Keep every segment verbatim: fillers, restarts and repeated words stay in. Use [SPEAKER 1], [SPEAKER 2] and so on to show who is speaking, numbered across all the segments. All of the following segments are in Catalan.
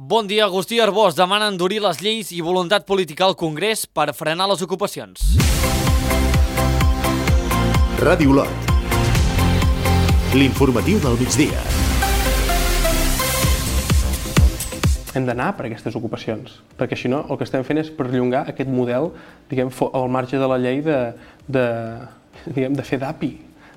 [SPEAKER 1] Bon dia. Agustí Arbós demana endurir les lleis i voluntat política al Congrés per frenar les ocupacions.
[SPEAKER 2] Ràdio Lot. L'informatiu del migdia.
[SPEAKER 3] Hem d'anar per aquestes ocupacions, perquè si no el que estem fent és perllongar aquest model, diguem, al marge de la llei de, de, diguem, de fer d'A P I,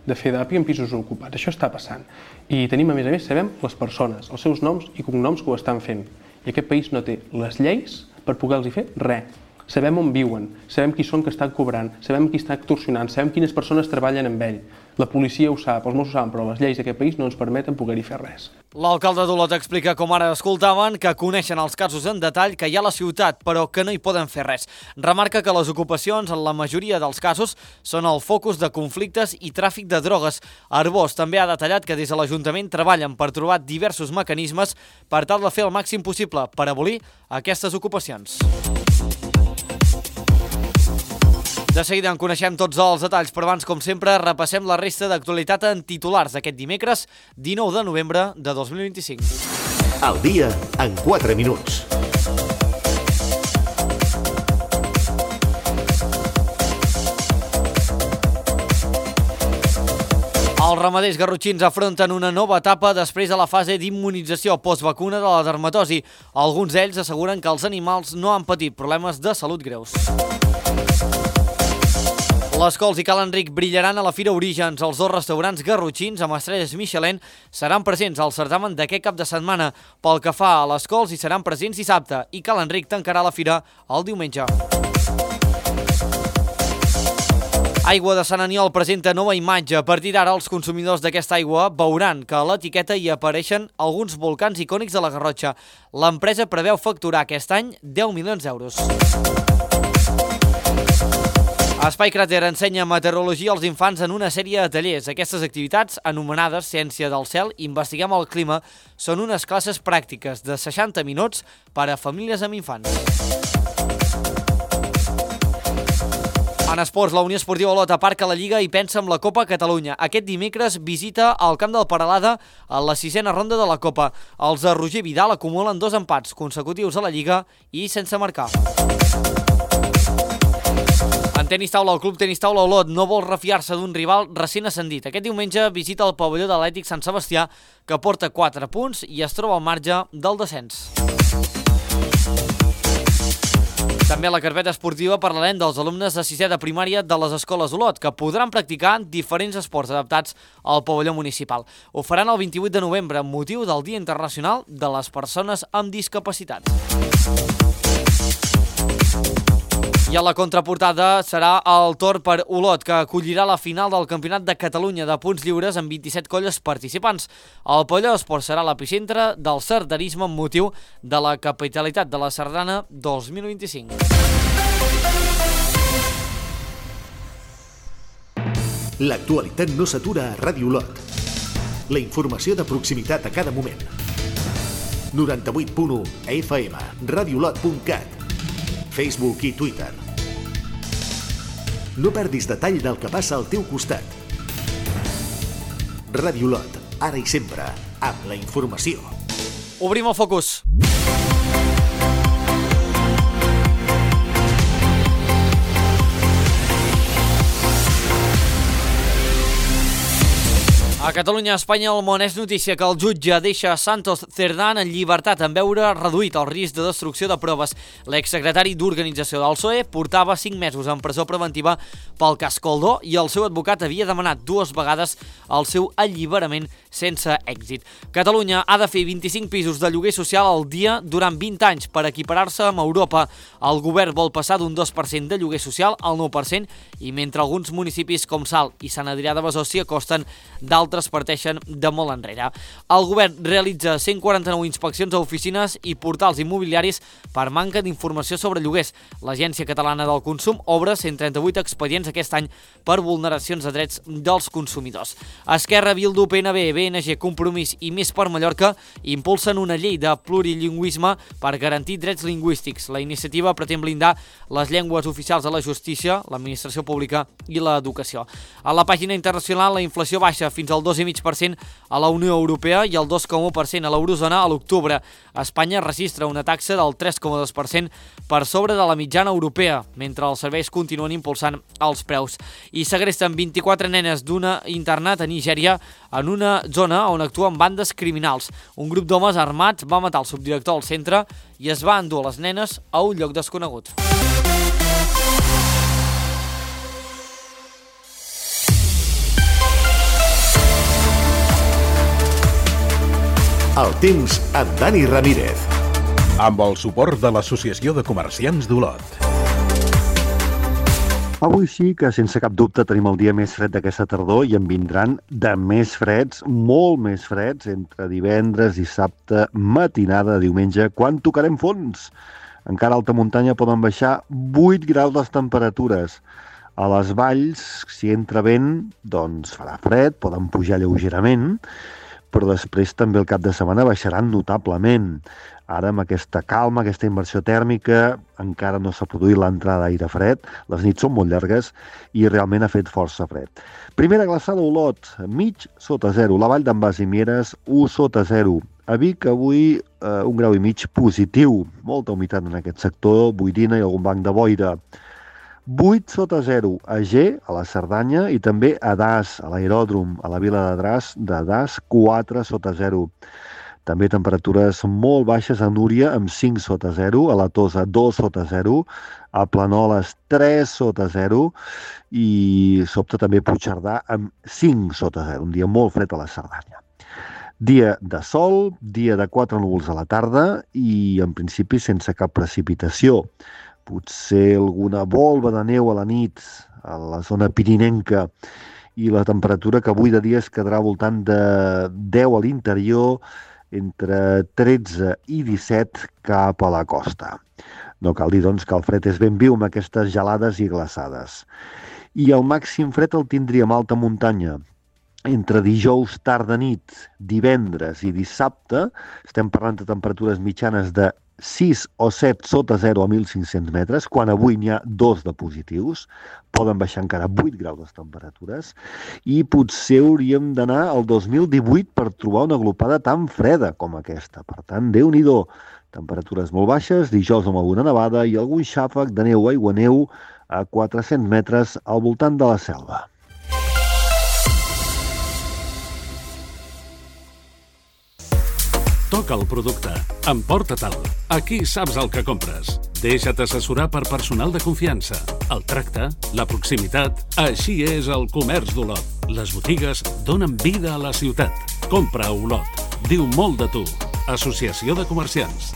[SPEAKER 3] de fer d'A P I en pisos ocupats. Això està passant. I tenim, a més a més, sabem les persones, els seus noms i cognoms que ho estan fent. I aquest país no té les lleis per poder-los fer res. Sabem on viuen, sabem qui són que estan cobrant, sabem qui està extorsionant, sabem quines persones treballen amb ell. La policia ho sap, els Mossos ho saben, però les lleis d'aquest país no ens permeten poder-hi fer res.
[SPEAKER 1] L'alcalde d'Olot explica, com ara escoltaven, que coneixen els casos en detall que hi ha a la ciutat, però que no hi poden fer res. Remarca que les ocupacions, en la majoria dels casos, són el focus de conflictes i tràfic de drogues. Arbós també ha detallat que des de l'Ajuntament treballen per trobar diversos mecanismes per tal de fer el màxim possible per abolir aquestes ocupacions. De seguida en coneixem tots els detalls, però abans, com sempre, repassem la resta d'actualitat en titulars d'aquest dimecres, dinou de novembre de dos mil vint-i-cinc.
[SPEAKER 2] El dia en quatre minuts.
[SPEAKER 1] Els ramaders garrotxins afronten una nova etapa després de la fase d'immunització postvacuna de la dermatosi. Alguns d'ells asseguren que els animals no han patit problemes de salut greus. Les Cols i Cal Enric brillaran a la Fira Orígens. Els dos restaurants garrotxins amb estrelles Michelin seran presents al certamen d'aquest cap de setmana. Pel que fa a les Cols, hi seran presents dissabte i Cal Enric tancarà la fira el diumenge. Aigua de Sant Aniol presenta nova imatge. A partir d'ara, els consumidors d'aquesta aigua veuran que a l'etiqueta hi apareixen alguns volcans icònics de la Garrotxa. L'empresa preveu facturar aquest any deu milions d'euros. Espai Cràter ensenya meteorologia als infants en una sèrie de tallers. Aquestes activitats, anomenades Ciència del Cel, Investiguem el Clima, són unes classes pràctiques de seixanta minuts per a famílies amb infants. En esports, la Unió Esportiva Olot aparca la Lliga i pensa en la Copa Catalunya. Aquest dimecres visita el camp del Peralada a la sisena ronda de la Copa. Els de Roger Vidal acumulen dos empats consecutius a la Lliga i sense marcar. En tenis taula, el Club Tenis Taula Olot no vol refiar-se d'un rival recent ascendit. Aquest diumenge visita el pavelló de l'Atlètic Sant Sebastià, que porta quatre punts i es troba al marge del descens. També a la carpeta esportiva parlarem dels alumnes de sisè de primària de les escoles Olot, que podran practicar diferents esports adaptats al pavelló municipal. Ho faran el vint-i-vuit de novembre, amb motiu del Dia Internacional de les Persones amb Discapacitat. I a la contraportada serà el torn per Olot, que acollirà la final del Campionat de Catalunya de punts lliures amb vint-i-set colles participants. El pavelló d'esport serà l'epicentre del sardanisme amb motiu de la capitalitat de la Sardana dos mil vint-i-cinc.
[SPEAKER 2] L'actualitat no s'atura a Ràdio Lot. La informació de proximitat a cada moment. noranta-vuit punt u F M, radiolot punt cat, Facebook i Twitter. No perdis detall del que passa al teu costat. Ràdio Lot, ara i sempre, amb la informació.
[SPEAKER 1] Obrim el focus. A Catalunya, Espanya, el món és notícia que el jutge deixa Santos Cerdán en llibertat en veure reduït el risc de destrucció de proves. L'exsecretari d'Organització del P S O E portava cinc mesos en presó preventiva pel cas Coldo i el seu advocat havia demanat dues vegades el seu alliberament sense èxit. Catalunya ha de fer vint-i-cinc pisos de lloguer social al dia durant vint anys per equiparar-se amb Europa. El govern vol passar d'un dos per cent de lloguer social al nou per cent i mentre alguns municipis com Salt i Sant Adrià de Besòs s'hi acosten, d'altres parteixen de molt enrere. El govern realitza cent quaranta-nou inspeccions a oficines i portals immobiliaris per manca d'informació sobre lloguers. L'Agència Catalana del Consum obre cent trenta-vuit expedients aquest any per vulneracions de drets dels consumidors. Esquerra, Bildu, P N B, B N G, Compromís i Més per Mallorca impulsen una llei de plurilingüisme per garantir drets lingüístics. La iniciativa pretén blindar les llengües oficials de la justícia, l'administració pública i l'educació. A la pàgina internacional, la inflació baixa fins al el dos coma cinc per cent a la Unió Europea i el dos coma u per cent a l'eurozona a l'octubre. Espanya registra una taxa del tres coma dos per cent per sobre de la mitjana europea, mentre els serveis continuen impulsant els preus. I segresten vint-i-quatre nenes d'una internat a Nigèria en una zona on actuen bandes criminals. Un grup d'homes armats va matar el subdirector del centre i es va endur les nenes a un lloc desconegut.
[SPEAKER 2] El temps amb Dani Ramírez.
[SPEAKER 4] Amb el suport de l'Associació de Comerciants d'Olot.
[SPEAKER 5] Avui sí que, sense cap dubte, tenim el dia més fred d'aquesta tardor i en vindran de més freds, molt més freds, entre divendres, dissabte, matinada, diumenge, quan tocarem fons. Encara a alta muntanya poden baixar vuit graus les temperatures. A les valls, si entra vent, doncs farà fred, poden pujar lleugerament, però després també el cap de setmana baixaran notablement. Ara, amb aquesta calma, aquesta inversió tèrmica, encara no s'ha produït l'entrada d'aire fred, les nits són molt llargues i realment ha fet força fred. Primera glaçada a Olot, mig sota zero. La Vall d'en Bas i Mieres, u sota zero. A Vic, avui, eh, un grau i mig positiu. Molta humitat en aquest sector, boirina i algun banc de boira. vuit sota zero a G, a la Cerdanya, i també a Das, a l'aeròdrom, a la vila de Das, de Das, quatre sota zero. També temperatures molt baixes a Núria, amb cinc sota zero, a la Tosa, dos sota zero, a Planoles, tres sota zero, i sobte també Puigcerdà, amb cinc sota zero, un dia molt fred a la Cerdanya. Dia de sol, dia de quatre núvols a la tarda i, en principi, sense cap precipitació. Potser alguna volva de neu a la nit a la zona pirinenca i la temperatura que avui de dia es quedarà al voltant de deu a l'interior, entre tretze i disset cap a la costa. No cal dir, doncs, que el fred és ben viu amb aquestes gelades i glaçades. I el màxim fred el tindríem a alta muntanya. Entre dijous tarda nit, divendres i dissabte, estem parlant de temperatures mitjanes de sis o set sota zero a mil cinc-cents metres, quan avui n'hi ha dos de positius, poden baixar encara vuit graus les temperatures, i potser hauríem d'anar al dos mil divuit per trobar una glopada tan freda com aquesta. Per tant, Déu-n'hi-do, temperatures molt baixes, dijous amb alguna nevada i algun xàfec de neu o aiguaneu a quatre-cents metres al voltant de la Selva.
[SPEAKER 6] Toca el producte. Emporta-te'l. Aquí saps el que compres. Deixa't assessorar per personal de confiança. El tracte, la proximitat... Així és el comerç d'Olot. Les botigues donen vida a la ciutat. Compra a Olot. Diu molt de tu. Associació de Comerciants.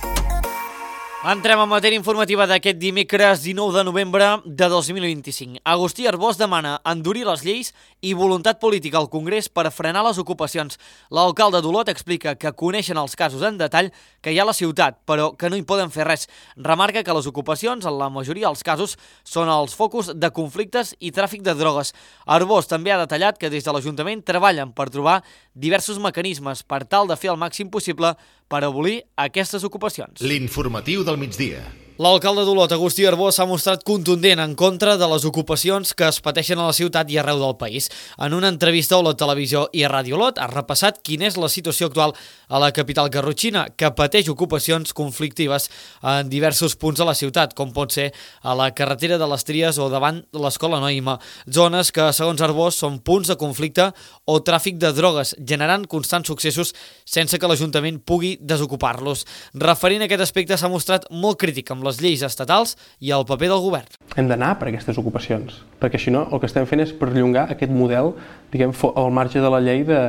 [SPEAKER 1] Entrem en matèria informativa d'aquest dimecres dinou de novembre de dos mil vint-i-cinc. Agustí Arbós demana endurir les lleis i voluntat política al Congrés per frenar les ocupacions. L'alcalde d'Olot explica que coneixen els casos en detall que hi ha a la ciutat, però que no hi poden fer res. Remarca que les ocupacions, en la majoria dels casos, són els focus de conflictes i tràfic de drogues. Arbós també ha detallat que des de l'Ajuntament treballen per trobar diversos mecanismes per tal de fer el màxim possible per abolir aquestes ocupacions.
[SPEAKER 2] L'informatiu del migdia.
[SPEAKER 1] L'alcalde d'Olot, Agustí Arbós, s'ha mostrat contundent en contra de les ocupacions que es pateixen a la ciutat i arreu del país. En una entrevista a Olot Televisió i a Ràdio Olot ha repassat quina és la situació actual a la capital garrotxina, que pateix ocupacions conflictives en diversos punts de la ciutat, com pot ser a la carretera de les Tries o davant de l'Escola Noima, zones que, segons Arbós, són punts de conflicte o tràfic de drogues, generant constants successos sense que l'Ajuntament pugui desocupar-los. Referint a aquest aspecte, s'ha mostrat molt crític amb les lleis estatals i el paper del govern.
[SPEAKER 3] Hem d'anar per aquestes ocupacions, perquè si no el que estem fent és perllongar aquest model, diguem, al marge de la llei de,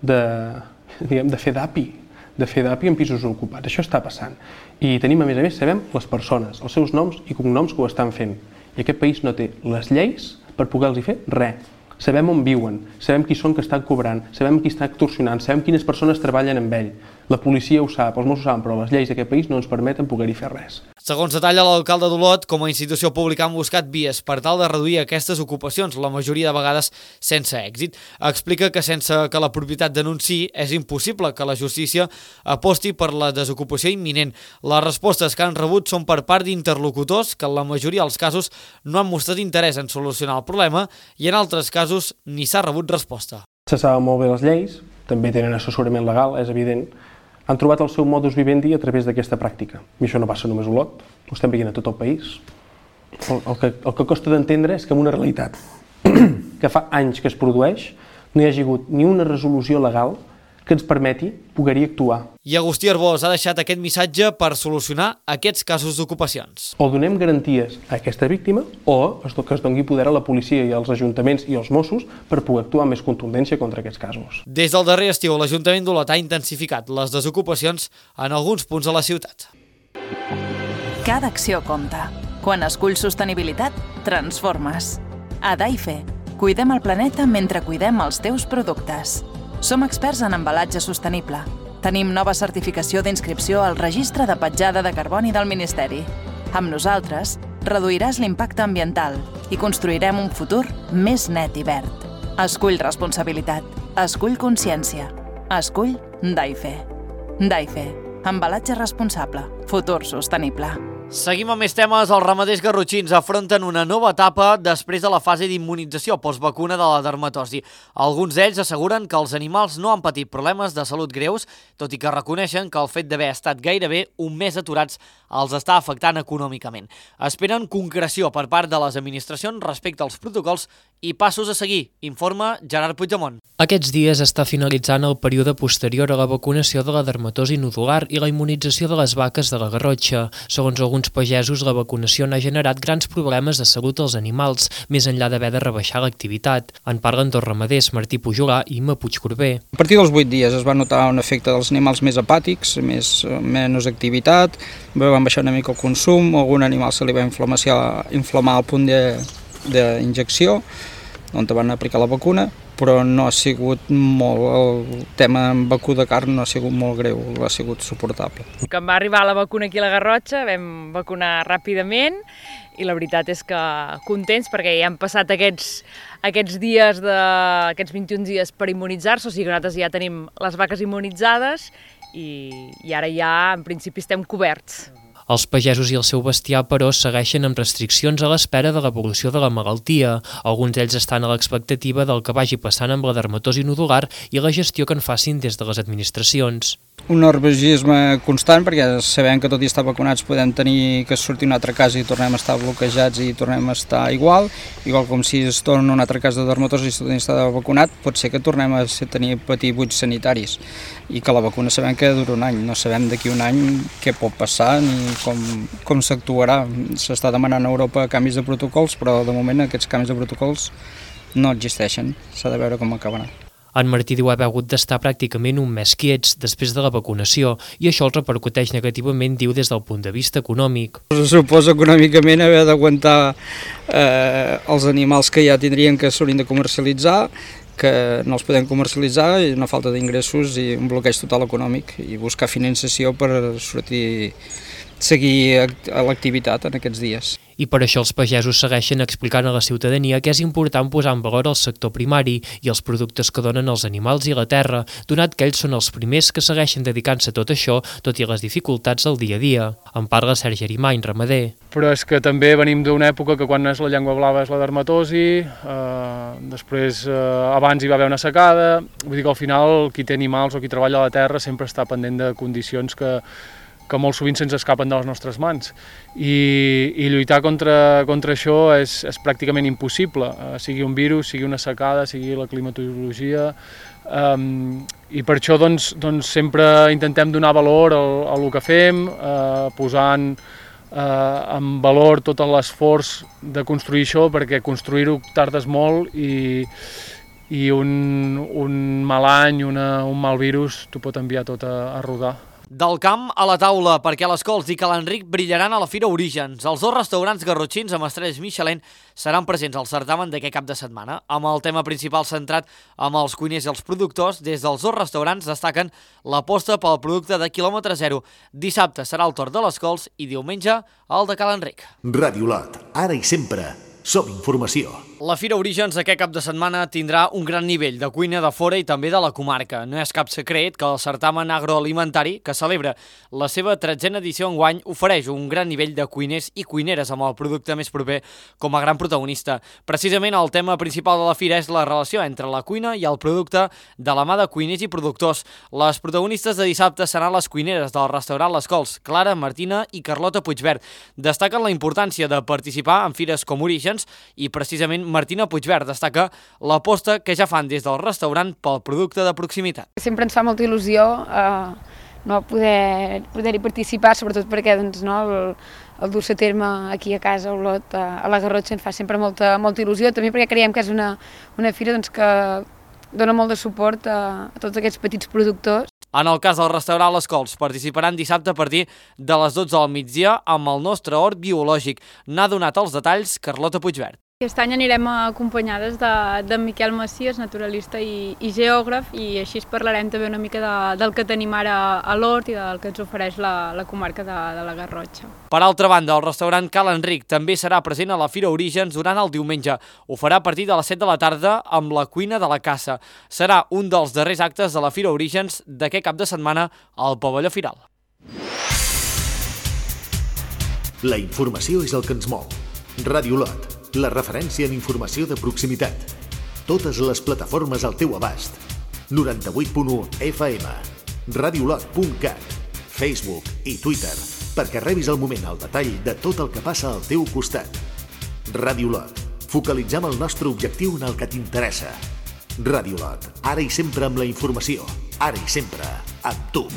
[SPEAKER 3] de, diguem, de fer d'API, de fer d'API en pisos ocupats. Això està passant. I tenim, a més a més, sabem les persones, els seus noms i cognoms que ho estan fent. I aquest país no té les lleis per poder-los fer res. Sabem on viuen, sabem qui són que estan cobrant, sabem qui està extorsionant, sabem quines persones treballen amb ell. La policia ho sap, els Mossos ho saben, però les lleis d'aquest país no ens permeten poder-hi fer res.
[SPEAKER 1] Segons detalla l'alcalde d'Olot, com a institució pública han buscat vies per tal de reduir aquestes ocupacions, la majoria de vegades sense èxit. Explica que sense que la propietat denunciï és impossible que la justícia aposti per la desocupació imminent. Les respostes que han rebut són per part d'interlocutors que en la majoria dels casos no han mostrat interès en solucionar el problema i en altres casos ni s'ha rebut resposta.
[SPEAKER 3] Se saben molt bé les lleis, també tenen assessorament legal, és evident, han trobat el seu modus vivendi a través d'aquesta pràctica. I això no passa només a Olot, ho estem veient a tot el país. El, el, que, el que costa d'entendre és que en una realitat que fa anys que es produeix no hi hagi hagut ni una resolució legal que ens permeti poder-hi actuar.
[SPEAKER 1] I Agustí Arbós ha deixat aquest missatge per solucionar aquests casos d'ocupacions.
[SPEAKER 3] O donem garanties a aquesta víctima o que es doni poder a la policia i als ajuntaments i als Mossos per poder actuar amb més contundència contra aquests casos.
[SPEAKER 1] Des del darrer estiu, l'Ajuntament d'Olot ha intensificat les desocupacions en alguns punts de la ciutat.
[SPEAKER 7] Cada acció compta. Quan esculls sostenibilitat, transformes. A Daife, cuidem el planeta mentre cuidem els teus productes. Som experts en embalatge sostenible. Tenim nova certificació d'inscripció al Registre de Petjada de Carboni del Ministeri. Amb nosaltres, reduiràs l'impacte ambiental i construirem un futur més net i verd. Escull responsabilitat. Escull consciència. Escull Daife. Daife. Embalatge responsable. Futur sostenible.
[SPEAKER 1] Seguim amb més temes. Els ramaders garrotxins afronten una nova etapa després de la fase d'immunització postvacuna de la dermatosi. Alguns d'ells asseguren que els animals no han patit problemes de salut greus, tot i que reconeixen que el fet d'haver estat gairebé un mes aturats els està afectant econòmicament. Esperen concreció per part de les administracions respecte als protocols i passos a seguir, informa Gerard Puigdemont.
[SPEAKER 8] Aquests dies està finalitzant el període posterior a la vacunació de la dermatosi nodular i la immunització de les vaques de la Garrotxa. Segons alguns pagesos, la vacunació n'ha generat grans problemes de salut als animals, més enllà d'haver de rebaixar l'activitat. En parlen dos ramaders, Martí Pujolà i Imma Puigcorbé.
[SPEAKER 9] A partir dels vuit dies es va notar un efecte dels animals més apàtics, més, menys activitat, van baixar una mica el consum, algun animal se li va inflamar al punt d'injecció, on van aplicar la vacuna, però no ha sigut molt, el tema amb vacú de carn no ha sigut molt greu, ha sigut suportable.
[SPEAKER 10] Quan va arribar la vacuna aquí a la Garrotxa vam vacunar ràpidament i la veritat és que contents perquè ja han passat aquests, aquests dies, de, aquests vint-i-un dies per immunitzar-se, o sigui que nosaltres ja tenim les vaques immunitzades i, i ara ja en principi estem coberts.
[SPEAKER 8] Els pagesos i el seu bestiar, però, segueixen amb restriccions a l'espera de l'evolució de la malaltia. Alguns d'ells estan a l'expectativa del que vagi passant amb la dermatosi nodular i la gestió que en facin des de les administracions.
[SPEAKER 9] Un nerviosisme constant, perquè sabem que tot i estar vacunats podem tenir que sortir un altre cas i tornem a estar bloquejats i tornem a estar igual, igual com si es torna un altre cas de dermatosi i tot i estar vacunat, pot ser que tornem a tenir patir buits sanitaris i que la vacuna sabem que dura un any, no sabem d'aquí un any què pot passar ni com, com s'actuarà. S'està demanant a Europa canvis de protocols, però de moment aquests canvis de protocols no existeixen, s'ha de veure com acabarà.
[SPEAKER 8] En Martí diu haver hagut d'estar pràcticament un mes quiets després de la vacunació i això el repercuteix negativament, diu, des del punt de vista econòmic.
[SPEAKER 9] Suposa econòmicament haver d'aguantar eh, els animals que ja tindrien que s'haurien de comercialitzar, que no els podem comercialitzar, i una falta d'ingressos i un bloqueig total econòmic i buscar finançació per sortir, seguir a l'activitat en aquests dies.
[SPEAKER 8] I per això els pagesos segueixen explicant a la ciutadania que és important posar en valor el sector primari i els productes que donen els animals i la terra, donat que ells són els primers que segueixen dedicant-se a tot això, tot i les dificultats del dia a dia. En parla Sergi Arimany, ramader.
[SPEAKER 3] Però és que també venim d'una època que quan és la llengua blava és la dermatosi, eh, després eh, abans hi va haver una secada, vull dir que al final qui té animals o qui treballa a la terra sempre està pendent de condicions que que molt sovint se'ns escapen de les nostres mans. I, i lluitar contra, contra això és, és pràcticament impossible, uh, sigui un virus, sigui una secada, sigui la climatologia, um, i per això doncs, doncs, sempre intentem donar valor al, a el que fem, uh, posant uh, en valor tot l'esforç de construir això, perquè construir-ho tardes molt i, i un, un mal any, una, un mal virus, t'ho pot enviar tot a, a rodar.
[SPEAKER 1] Del camp a la taula, perquè les cols i Ca l'Enric brillaran a la Fira Orígens. Els dos restaurants garrotxins amb estrelles Michelin seran presents al certamen d'aquest cap de setmana. Amb el tema principal centrat amb els cuiners i els productors, des dels dos restaurants destaquen l'aposta pel producte de quilòmetre zero. Dissabte serà el torn de les cols i diumenge el de Ca l'Enric.
[SPEAKER 2] Ràdio Olot, ara i sempre, Som informació.
[SPEAKER 1] La Fira Orígens aquest cap de setmana tindrà un gran nivell de cuina de fora i també de la comarca. No és cap secret que el certamen agroalimentari, que celebra la seva tretzena edició enguany, ofereix un gran nivell de cuiners i cuineres amb el producte més proper com a gran protagonista. Precisament el tema principal de la fira és la relació entre la cuina i el producte de la mà de cuiners i productors. Les protagonistes de dissabte seran les cuineres del restaurant Les Cols, Clara, Martina i Carlota Puigverd. Destaquen la importància de participar en fires com Orígens i precisament Martina Puigverd destaca l'aposta que ja fan des del restaurant pel producte de proximitat.
[SPEAKER 11] Sempre ens fa molta il·lusió eh, no, poder poder-hi participar, sobretot perquè doncs, no, el, el dur-se a terme aquí a casa, a Olot, a, a la Garrotxa, ens fa sempre molta, molta il·lusió, també perquè creiem que és una, una fira doncs, que dona molt de suport a, a tots aquests petits productors.
[SPEAKER 1] En el cas del restaurant Les Cols, participaran dissabte a partir de les dotze del migdia amb el nostre hort biològic. N'ha donat els detalls Carlota Puigverd.
[SPEAKER 12] Aquest any anirem acompanyades de, de Miquel Macias, naturalista i, i geògraf, i així parlarem també una mica de, del que tenim ara a l'hort i del que ens ofereix la, la comarca de, de la Garrotxa.
[SPEAKER 1] Per altra banda, el restaurant Cal Enric també serà present a la Fira Orígens durant el diumenge. Ho farà a partir de les set de la tarda amb la cuina de la caça. Serà un dels darrers actes de la Fira Orígens d'aquest cap de setmana al pavelló Firal.
[SPEAKER 2] La informació és el que ens mou. Ràdio Olot, la referència en informació de proximitat. Totes les plataformes al teu abast. noranta-vuit punt u F M, radiolot punt cat, Facebook i Twitter, perquè rebis al moment el detall de tot el que passa al teu costat. Ràdio Olot, focalitzem el nostre objectiu en el que t'interessa. Ràdio Olot, ara i sempre amb la informació, ara i sempre amb tu.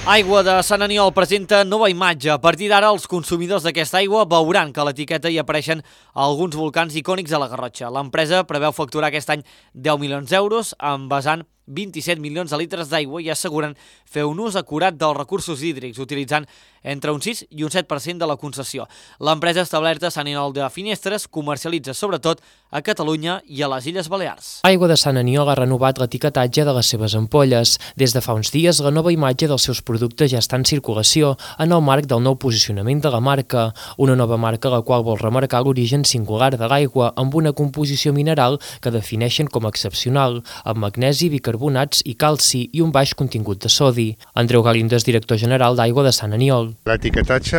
[SPEAKER 1] Aigua de Sant Aniol presenta nova imatge. A partir d'ara, els consumidors d'aquesta aigua veuran que a l'etiqueta hi apareixen alguns volcans icònics de la Garrotxa. L'empresa preveu facturar aquest any deu milions d'euros, envasant vint-i-set milions de litres d'aigua i asseguren fer un ús acurat dels recursos hídrics, utilitzant entre un sis i un set per cent de la concessió. L'empresa establerta a Sant Aniol de Finestres comercialitza sobretot a Catalunya i a les Illes Balears.
[SPEAKER 8] Aigua de Sant Aniol ha renovat l'etiquetatge de les seves ampolles. Des de fa uns dies, la nova imatge dels seus productes ja està en circulació en el marc del nou posicionament de la marca, una nova marca la qual vol remarcar l'origen singular de l'aigua amb una composició mineral que defineixen com a excepcional, amb magnesi, bicarbonats i calci i un baix contingut de sodi. Andreu Galindo és director general d'Aigua de Sant Aniol.
[SPEAKER 13] L'etiquetatge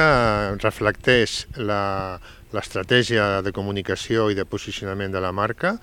[SPEAKER 13] reflecteix l'estratègia de comunicació i de posicionament de la marca,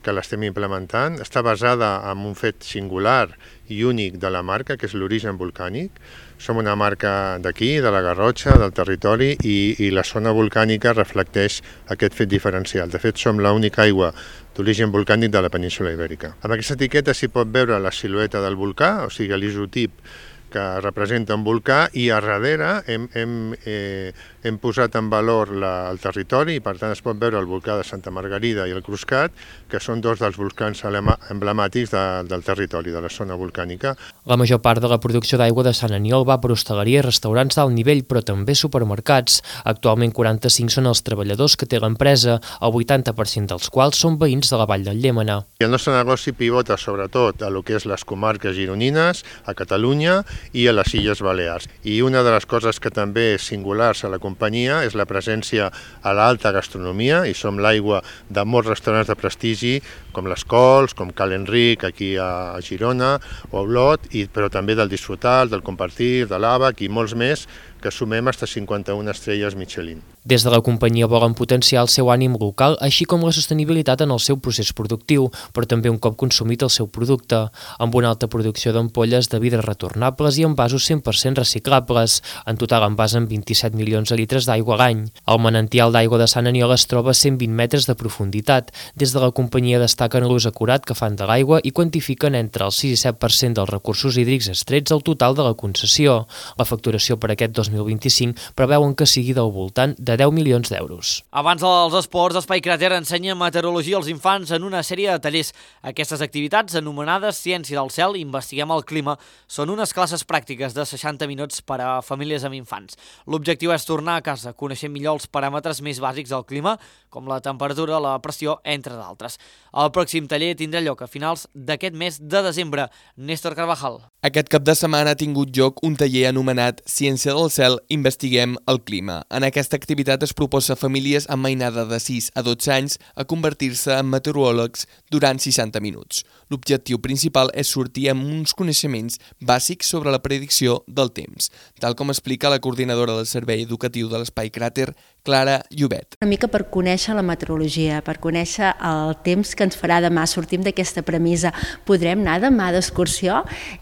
[SPEAKER 13] que l'estem implementant. Està basada en un fet singular i únic de la marca, que és l'origen volcànic. Som una marca d'aquí, de la Garrotxa, del territori, i, i la zona volcànica reflecteix aquest fet diferencial. De fet, som l'única aigua d'origen volcànic de la península Ibèrica. Amb aquesta etiqueta s'hi pot veure la silueta del volcà, o sigui, l'isotip que representa un volcà, i a darrere hem, hem, eh, hem posat en valor la, el territori i per tant es pot veure el volcà de Santa Margarida i el Cruscat, que són dos dels volcans emblemàtics de, del territori, de la zona volcànica.
[SPEAKER 8] La major part de la producció d'aigua de Sant Aniol va per hostaleria i restaurants d'alt nivell, però també supermercats. Actualment quaranta-cinc són els treballadors que té l'empresa, el vuitanta per cent dels quals són veïns de la Vall del Llémena.
[SPEAKER 13] El nostre negoci pivota sobretot a lo que és les comarques gironines, a Catalunya i a les Illes Balears. I una de les coses que també és singulars a la companyia és la presència a l'alta gastronomia, i som l'aigua de molts restaurants de prestigi, com les Cols, com Cal Enric, aquí a Girona, o a Olot, i, però també del Disfrutar, del Compartir, de l'Àbac i molts més, que sumem fins a cinquanta-una estrelles Michelin.
[SPEAKER 8] Des de la companyia volen potenciar el seu ànim local, així com la sostenibilitat en el seu procés productiu, però també un cop consumit el seu producte, amb una alta producció d'ampolles de vidre retornables i envasos cent per cent reciclables. En total envasen vint-i-set milions de litres d'aigua a l'any. El manantial d'aigua de Sant Aniol es troba a cent vint metres de profunditat. Des de la companyia destaquen l'ús acurat que fan de l'aigua i quantifiquen entre el sis i set per cent dels recursos hídrics extrets al total de la concessió. La facturació per aquest dos mil vint-i-cinc preveuen que sigui del voltant de deu milions d'euros.
[SPEAKER 1] Abans dels esports, Espai Cràter ensenya meteorologia als infants en una sèrie de tallers. Aquestes activitats, anomenades Ciència del Cel i Investiguem el Clima, són unes classes classes pràctiques de seixanta minuts per a famílies amb infants. L'objectiu és tornar a casa, coneixent millor els paràmetres més bàsics del clima, com la temperatura, la pressió, entre d'altres. El pròxim taller tindrà lloc a finals d'aquest mes de desembre. Néstor Carvajal.
[SPEAKER 14] Aquest cap de setmana ha tingut lloc un taller anomenat Ciència del cel, investiguem el clima. En aquesta activitat es proposa a famílies amb mainada de sis a dotze anys a convertir-se en meteoròlegs durant seixanta minuts. L'objectiu principal és sortir amb uns coneixements bàsics sobre la predicció del temps, tal com explica la coordinadora del Servei Educatiu de l'Espai Cràter, Clara Llobet.
[SPEAKER 15] Una mica per conèixer la meteorologia, per conèixer el temps que ens farà demà. Sortim d'aquesta premissa, podrem anar demà d'excursió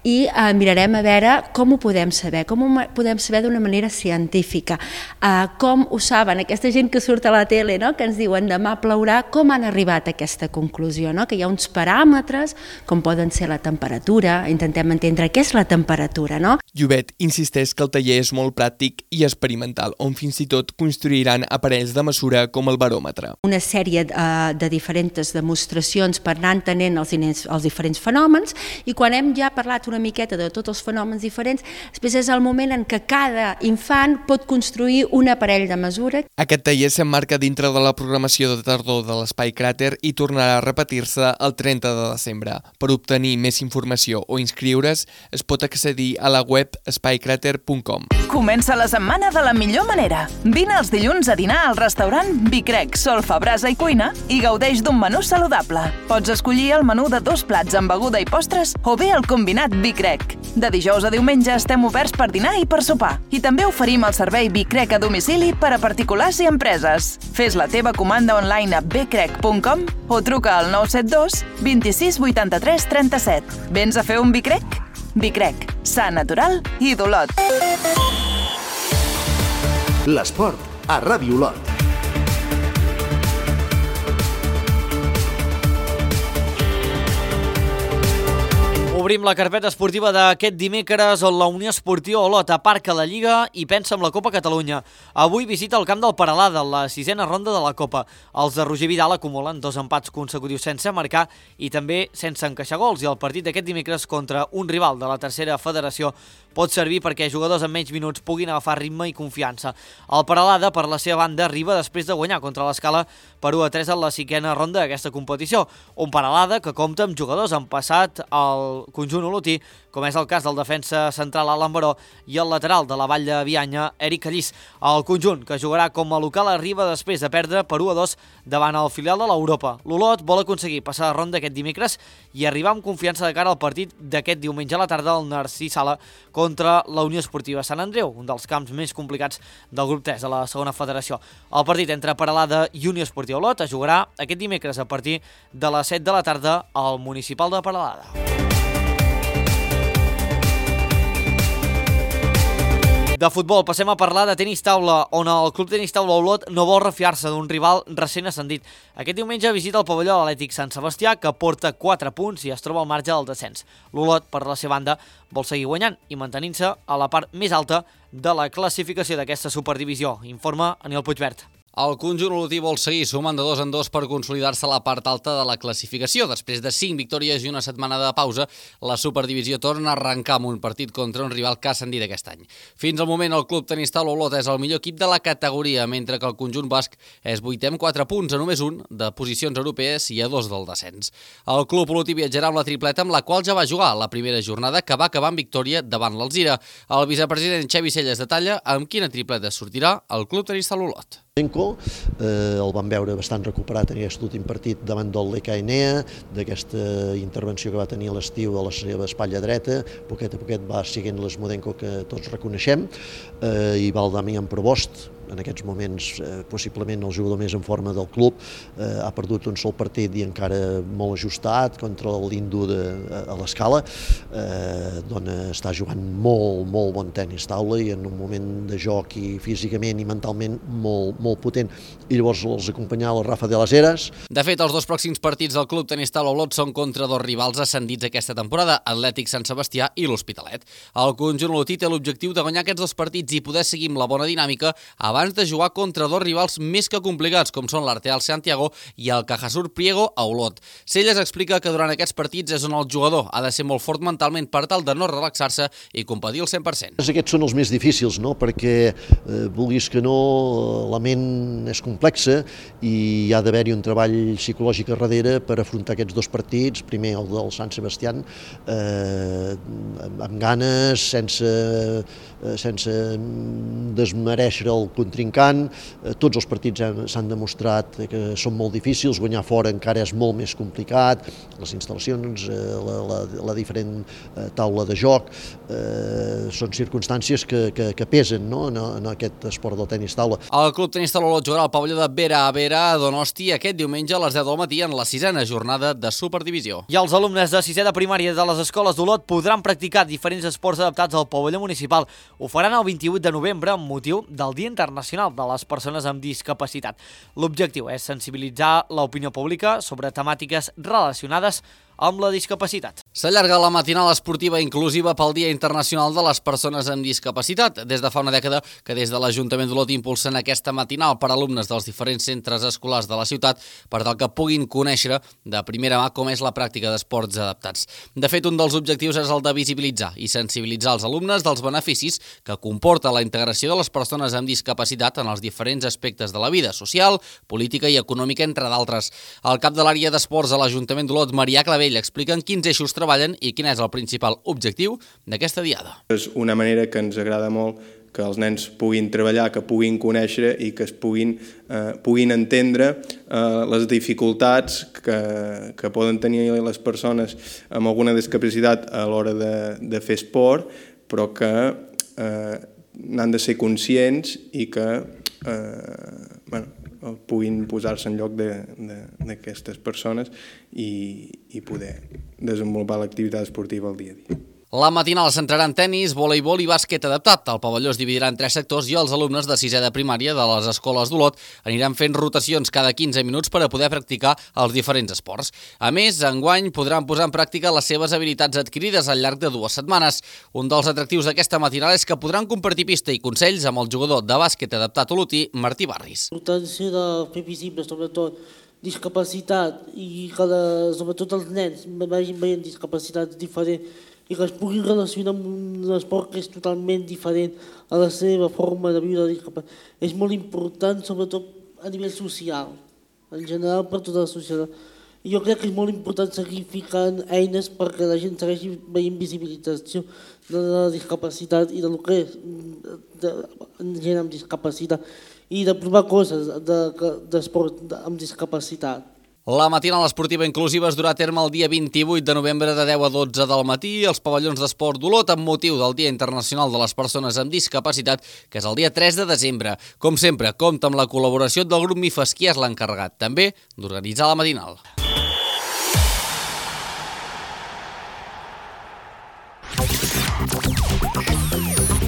[SPEAKER 15] i eh, mirarem a veure com ho podem saber, com ho podem saber d'una manera científica, eh, com ho saben aquesta gent que surt a la tele, no? Que ens diuen demà plourà, com han arribat a aquesta conclusió, no? Que hi ha uns paràmetres, com poden ser la temperatura, intentem entendre què és la temperatura, no?
[SPEAKER 14] Llobet insisteix que el taller és molt pràctic i experimental, on fins i tot construiran aparells de mesura com el baròmetre.
[SPEAKER 15] Una sèrie eh, de diferents demostracions per anar entenent els, els diferents fenòmens, i quan hem ja parlat una miqueta de tots els fenòmens diferents, després és el moment en què cada infant pot construir un aparell de mesura.
[SPEAKER 14] Aquest taller s'emmarca dintre de la programació de tardor de l'Espai Cràter i tornarà a repetir-se el trenta de desembre. Per obtenir més informació o inscriure's, es pot accedir a la web espai cràter punt com.
[SPEAKER 7] Comença la setmana de la millor manera. Vine els dilluns a dinar al restaurant Vicrec, solfa, brasa i cuina i gaudeix d'un menú saludable. Pots escollir el menú de dos plats amb beguda i postres o bé el combinat Vicrec. De dijous a diumenge estem oberts per dinar i per sopar. I també oferim el servei Vicrec a domicili per a particulars i empreses. Fes la teva comanda online a vicrec punt com o truca al nou set dos vint-i-sis vuitanta-tres trenta-set. Vens a fer un Vicrec? Vicrec, sa, natural i d'Olot.
[SPEAKER 2] L'esport a Ràdio Olot.
[SPEAKER 1] Obrim la carpeta esportiva d'aquest dimecres on la Unió Esportiva Olot aparca la Lliga i pensa en la Copa Catalunya. Avui visita el camp del Peralada, la sisena ronda de la Copa. Els de Roger Vidal acumulen dos empats consecutius sense marcar i també sense encaixar gols, i el partit d'aquest dimecres contra un rival de la tercera federació pot servir perquè jugadors amb menys minuts puguin agafar ritme i confiança. El Peralada, per la seva banda, arriba després de guanyar contra l'Escala per u a tres en la cinquena ronda d'aquesta competició. Un Peralada que compta amb jugadors en passat al conjunt olotí, com és el cas del defensa central Alan Baró i el lateral de la Vall de Bianya, Eric Callís. El conjunt, que jugarà com a local, arriba després de perdre per u a dos davant el filial de l'Europa. L'Olot vol aconseguir passar la ronda aquest dimecres i arribar amb confiança de cara al partit d'aquest diumenge a la tarda al Narcís Sala contra la Unió Esportiva Sant Andreu, un dels camps més complicats del grup tres de la segona federació. El partit entre Peralada i Unió Esportiva Olot es jugarà aquest dimecres a partir de les set de la tarda al municipal de Peralada. De futbol passem a parlar de tenis taula, on el Club Tenis Taula Olot no vol refiar-se d'un rival recent ascendit. Aquest diumenge visita el pavelló de l'Atlètic Sant Sebastià, que porta quatre punts i es troba al marge del descens. L'Olot, per la seva banda, vol seguir guanyant i mantenint-se a la part més alta de la classificació d'aquesta superdivisió, informa Aniol Puigvert.
[SPEAKER 16] El conjunt olotí vol seguir sumant de dos en dos per consolidar-se a la part alta de la classificació. Després de cinc victòries i una setmana de pausa, la superdivisió torna a arrencar amb un partit contra un rival que ha ascendit aquest any. Fins al moment, el Club Tenis Taula Olot és el millor equip de la categoria, mentre que el conjunt basc és vuitè amb quatre punts, a només un de posicions europees i a dos del descens. El club olotí viatjarà amb la tripleta amb la qual ja va jugar la primera jornada, que va acabar amb victòria davant l'Alzira. El vicepresident Xavi Celles detalla amb quina tripleta sortirà el Club Tenis Taula Olot.
[SPEAKER 17] Enco, eh, el vam veure bastant recuperat en aquest últim partit davant del L K N E A, d'aquesta intervenció que va tenir a l'estiu a la seva espatlla dreta, poquet a poquet va siguent l'Esmodenko que tots reconeixem, eh, i va el Damian Provost, en aquests moments eh, possiblement el jugador més en forma del club, eh, ha perdut un sol partit i encara molt ajustat contra l'Indu a l'Escala, eh, d'on està jugant molt, molt bon tenis taula i en un moment de joc i físicament i mentalment molt, molt potent. I llavors els acompanyava el Rafa de las Heras.
[SPEAKER 16] De fet, els dos pròxims partits del Club Tenis Taula Olot són contra dos rivals ascendits aquesta temporada, Atlètic Sant Sebastià i l'Hospitalet. El conjunt olotí té l'objectiu de guanyar aquests dos partits i poder seguir amb la bona dinàmica abans abans de jugar contra dos rivals més que complicats, com són l'Arteal Santiago i el Cajasur Priego a Olot. Celles explica que durant aquests partits és on el jugador ha de ser molt fort mentalment per tal de no relaxar-se i competir al cent per cent.
[SPEAKER 17] Aquests són els més difícils, no? Perquè eh, vulguis que no, la ment és complexa i hi ha d'haver-hi un treball psicològic a darrere per afrontar aquests dos partits, primer el del Sant Sebastián, eh, amb ganes, sense, eh, sense desmereixer el contrincant. Eh, tots els partits s'han demostrat que són molt difícils, guanyar fora encara és molt més complicat, les instal·lacions, eh, la, la, la diferent eh, taula de joc, eh, són circumstàncies que, que, que pesen, no? en, en aquest esport del tenis taula.
[SPEAKER 16] El Club Tenis Taula Olot jugarà al pavelló de Vera a Vera a Donosti aquest diumenge a les deu del matí en la sisena jornada de Superdivisió.
[SPEAKER 1] I els alumnes de sisè de primària de les escoles d'Olot podran practicar diferents esports adaptats al pavelló municipal. Ho faran el vint-i-vuit de novembre amb motiu del Dia Internacional de les Persones amb Discapacitat. L'objectiu és sensibilitzar l'opinió pública sobre temàtiques relacionades amb la discapacitat.
[SPEAKER 16] S'allarga la matinal esportiva inclusiva pel Dia Internacional de les Persones amb Discapacitat. Des de fa una dècada que des de l'Ajuntament d'Olot impulsen aquesta matinal per a alumnes dels diferents centres escolars de la ciutat per tal que puguin conèixer de primera mà com és la pràctica d'esports adaptats. De fet, un dels objectius és el de visibilitzar i sensibilitzar els alumnes dels beneficis que comporta la integració de les persones amb discapacitat en els diferents aspectes de la vida social, política i econòmica, entre d'altres. El cap de l'àrea d'esports de l'Ajuntament d'Olot, Marià Clavé, expliquen quins eixos treballen i quin és el principal objectiu d'aquesta diada.
[SPEAKER 18] És una manera que ens agrada molt que els nens puguin treballar, que puguin conèixer i que es puguin, eh, puguin entendre eh, les dificultats que, que poden tenir les persones amb alguna discapacitat a l'hora de, de fer esport, però que eh, n'han de ser conscients i que eh, bueno, puguin posar-se en lloc d'aquestes persones i, i poder desenvolupar l'activitat esportiva al dia a dia.
[SPEAKER 16] La matinal es centrarà en tenis, voleibol i bàsquet adaptat. El pavelló es dividirà en tres sectors i els alumnes de sisè de primària de les escoles d'Olot aniran fent rotacions cada quinze minuts per a poder practicar els diferents esports. A més, enguany podran posar en pràctica les seves habilitats adquirides al llarg de dues setmanes. Un dels atractius d'aquesta matinal és que podran compartir pista i consells amb el jugador de bàsquet adaptat olotí, Martí Barris.
[SPEAKER 19] La importància de fer visible, sobretot, discapacitat i que, la, sobretot, els nens vagin veient discapacitats diferents i que es puguin relacionar amb un esport que és totalment diferent a la seva forma de viure. És molt important, sobretot a nivell social, en general per tota la societat. I jo crec que és molt important seguir ficant eines perquè la gent segueixi veient visibilització de la discapacitat i del que és de, de gent amb discapacitat i de provar coses d'esport de, amb discapacitat.
[SPEAKER 16] La matinal esportiva inclusiva es durà a terme el dia vint-i-vuit de novembre de deu a dotze del matí als pavellons d'esport d'Olot amb motiu del Dia Internacional de les Persones amb Discapacitat, que és el dia tres de desembre. Com sempre, compta amb la col·laboració del grup MIFAS, qui és l'encarregat també d'organitzar la matinal.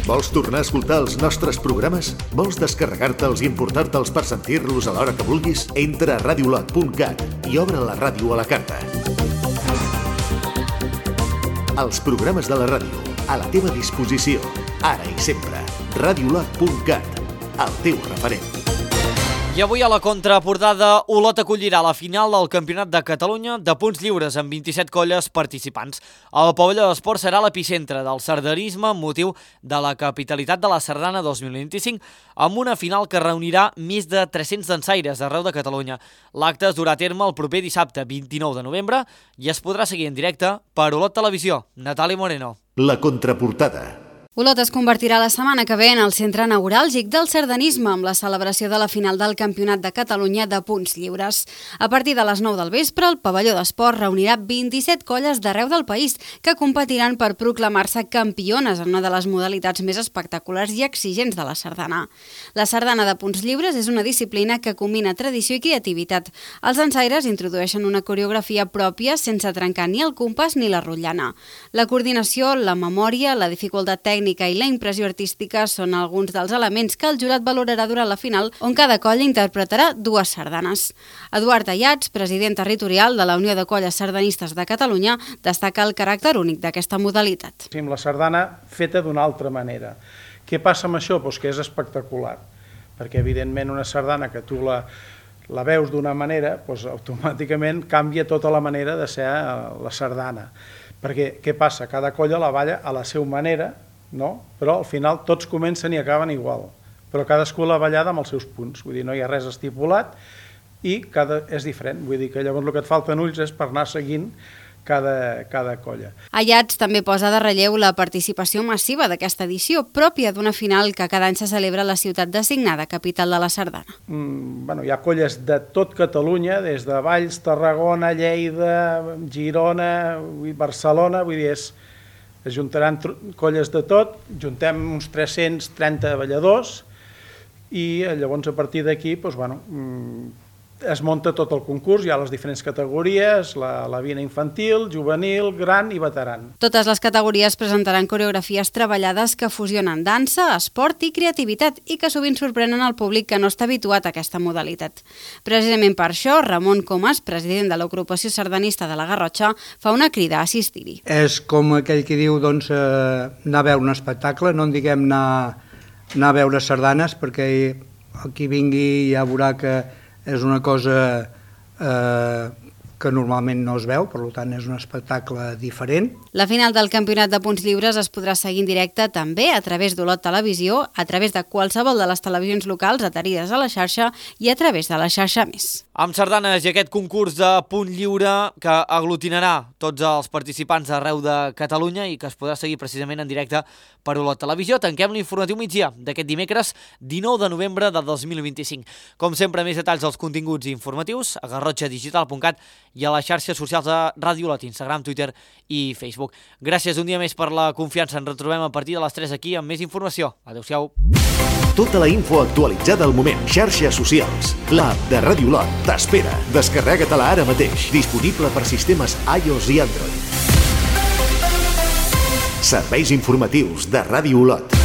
[SPEAKER 2] Vols tornar a escoltar els nostres programes? Vols descarregar-te'ls i emportar-te'ls per sentir-los a l'hora que vulguis? Entra a radiolot punt cat i obre la ràdio a la carta. Els programes de la ràdio, a la teva disposició, ara i sempre. radiolot punt cat, el teu referent.
[SPEAKER 1] I avui a la contraportada, Olot acollirà la final del Campionat de Catalunya de punts lliures amb vint-i-set colles participants. El pavelló d'esport serà l'epicentre del sardanisme amb motiu de la capitalitat de la Sardana dos mil vint-i-cinc amb una final que reunirà més de tres-cents dansaires d'arreu de Catalunya. L'acte es durà a terme el proper dissabte vint-i-nou de novembre i es podrà seguir en directe per Olot Televisió. Natàlia Moreno.
[SPEAKER 2] La contraportada.
[SPEAKER 20] Olot es convertirà la setmana que ve en el centre neuràlgic del sardanisme amb la celebració de la final del Campionat de Catalunya de punts lliures. A partir de les nou del vespre, el pavelló d'esport reunirà vint-i-set colles d'arreu del país que competiran per proclamar-se campiones en una de les modalitats més espectaculars i exigents de la sardana. La sardana de punts lliures és una disciplina que combina tradició i creativitat. Els dansaires introdueixen una coreografia pròpia sense trencar ni el compàs ni la rotllana. La coordinació, la memòria, la dificultat tècnica i la impressió artística són alguns dels elements que el jurat valorarà durant la final, on cada colla interpretarà dues sardanes. Eduard Ayats, president territorial de la Unió de Colles Sardanistes de Catalunya, destaca el caràcter únic d'aquesta modalitat.
[SPEAKER 21] Amb la sardana feta d'una altra manera. Què passa amb això? Doncs que és espectacular, perquè evidentment una sardana que tu la, la veus d'una manera, doncs automàticament canvia tota la manera de ser la sardana. Perquè què passa? Cada colla la balla a la seva manera, no? Però al final tots comencen i acaben igual, però cadascú la ballada amb els seus punts, vull dir, no hi ha res estipulat i cada és diferent, vull dir que llavors el que et falten ulls és per anar seguint cada, cada colla.
[SPEAKER 20] Ayats també posa de relleu la participació massiva d'aquesta edició, pròpia d'una final que cada any se celebra a la ciutat designada capital de la sardana.
[SPEAKER 21] Mm, bueno, hi ha colles de tot Catalunya, des de Valls, Tarragona, Lleida, Girona, Barcelona, vull dir, és, es juntaran colles de tot, juntem uns tres-cents trenta balladors i llavors a partir d'aquí, doncs, bueno, es munta tot el concurs, hi ha les diferents categories, la, la vina infantil, juvenil, gran i veteran.
[SPEAKER 20] Totes les categories presentaran coreografies treballades que fusionen dansa, esport i creativitat i que sovint sorprenen el públic que no està habituat a aquesta modalitat. Precisament per això, Ramon Comas, president de l'agrupació sardanista de la Garrotxa, fa una crida a assistir-hi.
[SPEAKER 22] És com aquell que diu doncs, eh, anar a veure un espectacle, no en diguem anar, anar a veure sardanes, perquè qui vingui ja veurà que és una cosa eh, que normalment no es veu, per tant és un espectacle diferent.
[SPEAKER 20] La final del Campionat de Punts Lliures es podrà seguir en directe també a través d'Olot Televisió, a través de qualsevol de les televisions locals adherides a la xarxa i a través de la xarxa Més.
[SPEAKER 1] Amb sardanes i aquest concurs de punt lliure que aglutinarà tots els participants d'arreu de Catalunya i que es podrà seguir precisament en directe per Olot Televisió. Tanquem l'informatiu migdia d'aquest dimecres dinou de novembre de dos mil vint-i-cinc. Com sempre, més detalls als continguts informatius a garrotxa digital punt cat i a les xarxes socials de Ràdio Olot, Instagram, Twitter i Facebook. Gràcies un dia més per la confiança. Ens retrobem a partir de les tres aquí amb més informació. Adéu-siau.
[SPEAKER 2] Tota la info actualitzada al moment. Xarxes socials. L'app de Ràdio Olot t'espera. Descarrega-te-la ara mateix. Disponible per sistemes iOS i Android. Serveis informatius de Ràdio Olot.